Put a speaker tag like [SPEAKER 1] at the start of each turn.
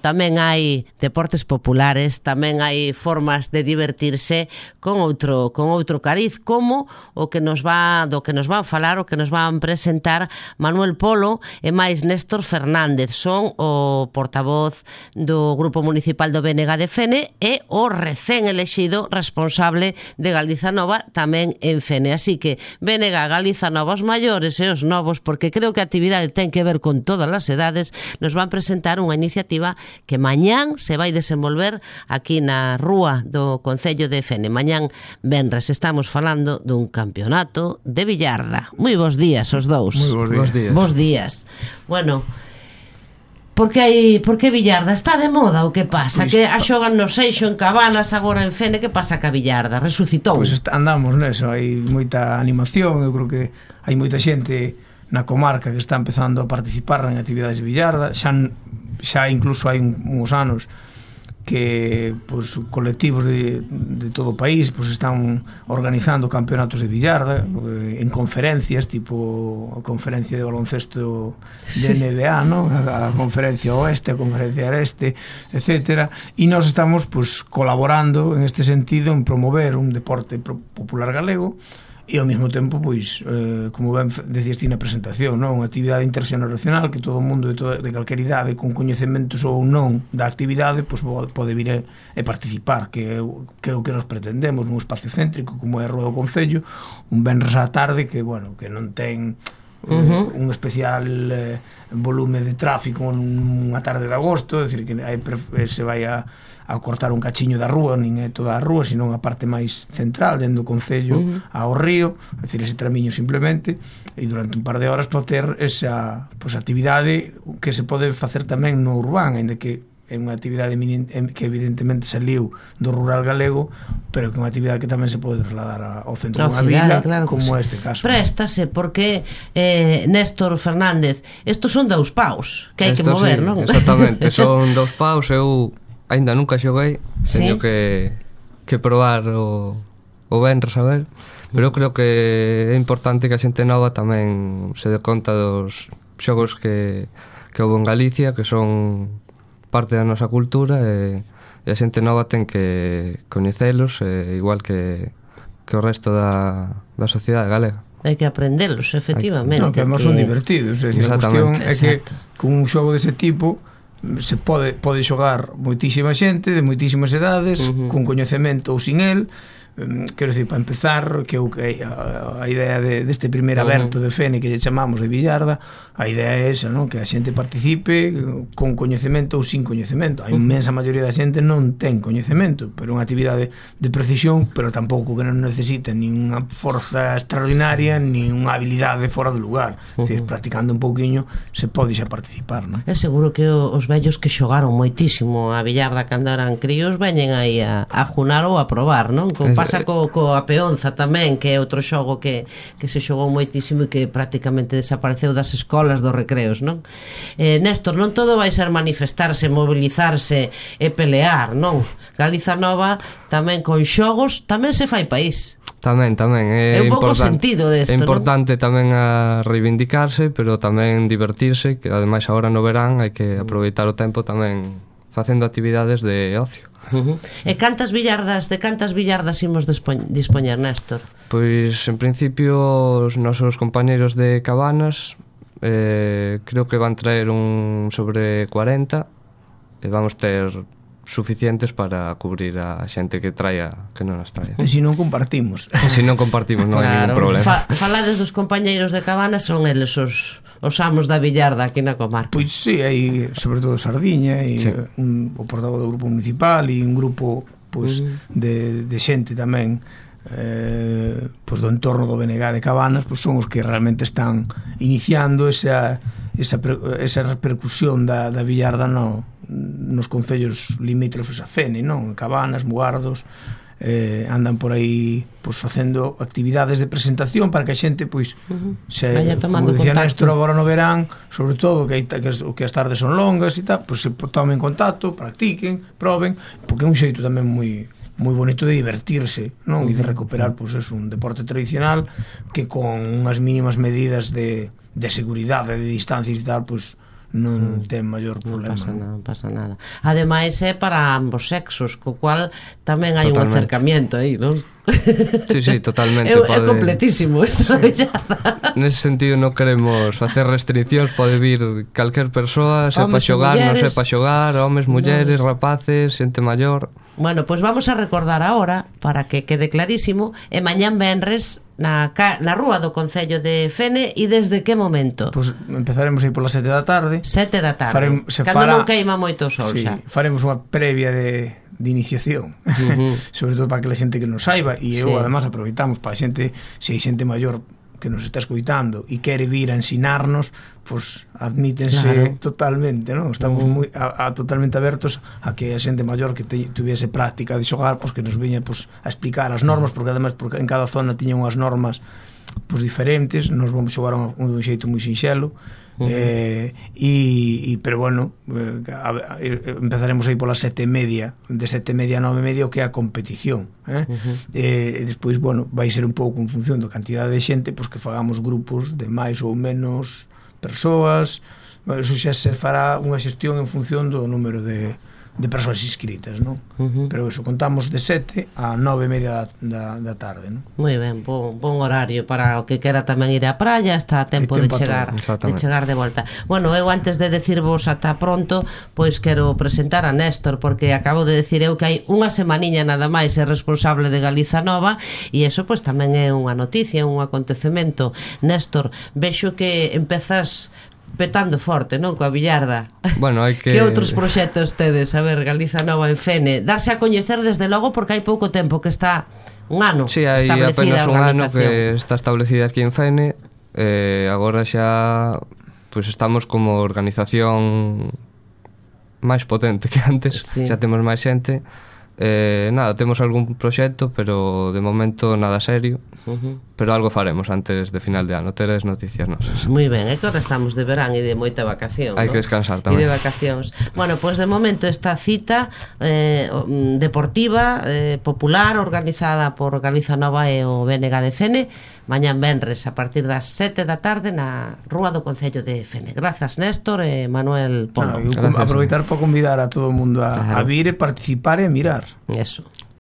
[SPEAKER 1] tamén hai deportes populares, tamén hai formas de divertirse con outro cariz, como o que nos van falar, o que nos van presentar Manuel Polo e máis Néstor Fernández. Son o portavoz do Grupo Municipal do BNG de Fene e o recén elexido responsable de Galiza Nova tamén en Fene. Así que BNG, Galiza Nova, os maiores e os novos, porque creo que a actividade ten que ver con todas as edades, nos van presentar unha iniciativa que mañán se vai desenvolver aquí na rúa do Concello de Fene. Mañán venres estamos falando dun campeonato de billarda. Moi bons días os dous.
[SPEAKER 2] Moi bons días.
[SPEAKER 1] Bons días. Bueno, por que billarda? Está de moda ou que pasa?
[SPEAKER 2] Pois,
[SPEAKER 1] que a xogan no Seixo, en Cabanas, agora en Fene, que pasa ca billarda? Resucitou?
[SPEAKER 2] Pois andamos neso, hai moita animación, eu creo que hai moita xente na comarca que está empezando a participar en actividades de billarda, xa incluso hai uns anos que pois, colectivos de todo o país pois, están organizando campeonatos de billarda en conferencias, tipo a conferencia de baloncesto de NBA, ¿no? A conferencia oeste, a conferencia este, etcétera, e nós estamos pois, colaborando en este sentido en promover un deporte popular galego e ao mesmo tempo, pois, como ben decías ti na presentación, non? Unha actividade interxeneracional que todo o mundo de calquer idade con coñecementos ou non da actividade pois, pode vir e participar, que é o que nos pretendemos nun espacio céntrico como é a Rúa do Concello, un venres á tarde que, bueno, que non ten un especial volume de tráfico nunha tarde de agosto, é dicir, que se vai a cortar un cachiño da rúa, nin é toda a rúa, senón a parte máis central dentro do Concello ao río, é dicir, ese tramiño simplemente, e durante un par de horas pode ter esa pois, actividade que se pode facer tamén no urbán, ainda que é unha actividade que evidentemente saliu do rural galego, pero que é unha actividade que tamén se pode trasladar ao centro dunha vila, claro, como este caso.
[SPEAKER 1] Préstase, porque Néstor Fernández, estos son 2 paus que hai que mover,
[SPEAKER 3] sí,
[SPEAKER 1] non?
[SPEAKER 3] Exactamente, son 2 paus. Eu ainda nunca xoguei, teño que probar o venres a ver, pero eu creo que é importante que a xente nova tamén se dé conta dos xogos que houve en Galicia, que son parte da nosa cultura, e a xente nova ten que coñecelos, igual que o resto da sociedade galega.
[SPEAKER 1] Hai que aprendelos, efectivamente.
[SPEAKER 2] Non, que además son divertidos, é dicir, a cuestión é que con un xogo dese tipo se pode xogar moitísima xente de moitísimas edades, con coñecemento ou sin el. Quero dicir, para empezar, que a idea deste primer aberto de Fene que lle chamamos de billarda, a idea é esa, non? Que a xente participe con coñecemento ou sin coñecemento. A inmensa maioría da xente non ten coñecemento, pero é unha actividade de precisión, pero tampouco que non necesita nin unha forza extraordinaria nin unha habilidade fora do lugar. É dicir, practicando un pouquiño se pode xa participar, non?
[SPEAKER 1] É seguro que os vellos que xogaron moitísimo a billarda cando eran críos veñen aí a junar ou a probar, non? Pasa coa peonza tamén, que é outro xogo que se xogou moitísimo e que prácticamente desapareceu das escolas, dos recreos, non? Néstor, non todo vai ser manifestarse, mobilizarse e pelear, non? Galiza Nova tamén con xogos tamén se fai país.
[SPEAKER 3] Tamén é
[SPEAKER 1] un pouco sentido desto,
[SPEAKER 3] é importante tamén a reivindicarse, pero tamén divertirse, que ademais agora no verán hai que aproveitar o tempo tamén facendo actividades de ocio.
[SPEAKER 1] E cantas billardas imos dispoñer, Néstor?
[SPEAKER 3] Pois, en principio, os nosos compañeiros de Cabanas creo que van traer un sobre 40 e vamos ter suficientes para cubrir a xente que non as traia.
[SPEAKER 2] E se non compartimos.
[SPEAKER 3] Non hai ningún problema.
[SPEAKER 1] Falades dos compañeiros de Cabanas, son eles os amos da billarda aquí na comarca.
[SPEAKER 2] Pois sí, hai sobre todo Sardiña e o portavoz do grupo municipal e un grupo pois, de xente tamén pois do entorno do BNG de Cabanas, pois son os que realmente están iniciando esa repercusión da billarda nos concellos limítrofes a Fene, non? Cabanas, Mugardos, andan por aí pois facendo actividades de presentación para que a xente pois
[SPEAKER 1] como
[SPEAKER 2] dicía Néstor agora no verán, sobre todo que as tardes son longas e tal, pois se tomen contacto, practiquen, proben, porque é un xeito tamén moi bonito de divertirse, non? E de recuperar pois un deporte tradicional que con unhas mínimas medidas de seguridade, de distancia e tal, pois non ten maior problema.
[SPEAKER 1] Non pasa nada. Ademais é para ambos sexos, co cual tamén hai un acercamiento aí, non?
[SPEAKER 3] Sí, totalmente.
[SPEAKER 1] É completísimo esta belleza.
[SPEAKER 3] Nese sentido non queremos facer restriccións, pode vir calquer persoa, sepa xogar, non sepa xogar, homes, mulleres, rapaces, xente maior.
[SPEAKER 1] Bueno, pois vamos a recordar ahora, para que quede clarísimo, e mañán venres na rúa do Concello de Fene, e desde que momento?
[SPEAKER 2] Pois empezaremos aí polas 7 da tarde.
[SPEAKER 1] 7 da tarde, cando non queima moito o sol xa.
[SPEAKER 2] Faremos unha previa de iniciación, sobre todo para que a xente que non saiba, e eu además aproveitamos para a xente, se hai xente maior que nos está escoitando e quere vir a ensinarnos, pois admítense totalmente, non? Estamos moi totalmente abertos a que a xente maior que tuviese práctica de xogar, pois que nos viña pois a explicar as normas, porque además porque en cada zona tiñan unhas normas pois diferentes, nos vamos xogar un xeito moi sinxelo. Pero bueno, empezaremos aí polas 7:30, de 7:30 a 9:30, o que é a competición, e despois, bueno, vai ser un pouco en función da cantidade de xente, pois que fagamos grupos de máis ou menos persoas. Eso xa se fará unha xestión en función do número de persoas inscritas, non? Pero eso, contamos de 7 a 9:30 da tarde, non?
[SPEAKER 1] Moi ben, bon horario para o que quera tamén ir á praia, está a tempo de chegar de volta. Bueno, eu antes de decirvos ata pronto, pois quero presentar a Néstor, porque acabo de decir eu que hai unha semaniña nada máis é responsable de Galiza Nova, e iso pois tamén é unha noticia, un acontecemento. Néstor, vexo que empezas petando forte, non, coa billarda.
[SPEAKER 3] Bueno, hai que...
[SPEAKER 1] Que outros proxectos tedes? A ver, Galiza Nova en Fene. Darse a coñecer desde logo porque hai pouco tempo que está un ano establecida a organización. Sí, hai apenas un ano
[SPEAKER 3] que está establecida aquí en Fene. Agora xa pues estamos como organización máis potente que antes. Xa temos máis xente. Nada, temos algún proxecto, pero de momento nada serio. Pero algo faremos antes de final de ano. Teres noticias nosas.
[SPEAKER 1] Moi ben, é que ahora estamos de verán e de moita vacación,
[SPEAKER 3] hai que descansar tamén.
[SPEAKER 1] E de vacacións. Bueno, pois de momento esta cita deportiva, popular, organizada por Galiza Nova e o BNG de Fene, mañán venres a partir das 7 da tarde na rúa do Concello de Fene. Grazas, Néstor e Manuel Polo.
[SPEAKER 2] Aproveitar para convidar a todo o mundo a vir e participar e mirar.
[SPEAKER 1] Eso.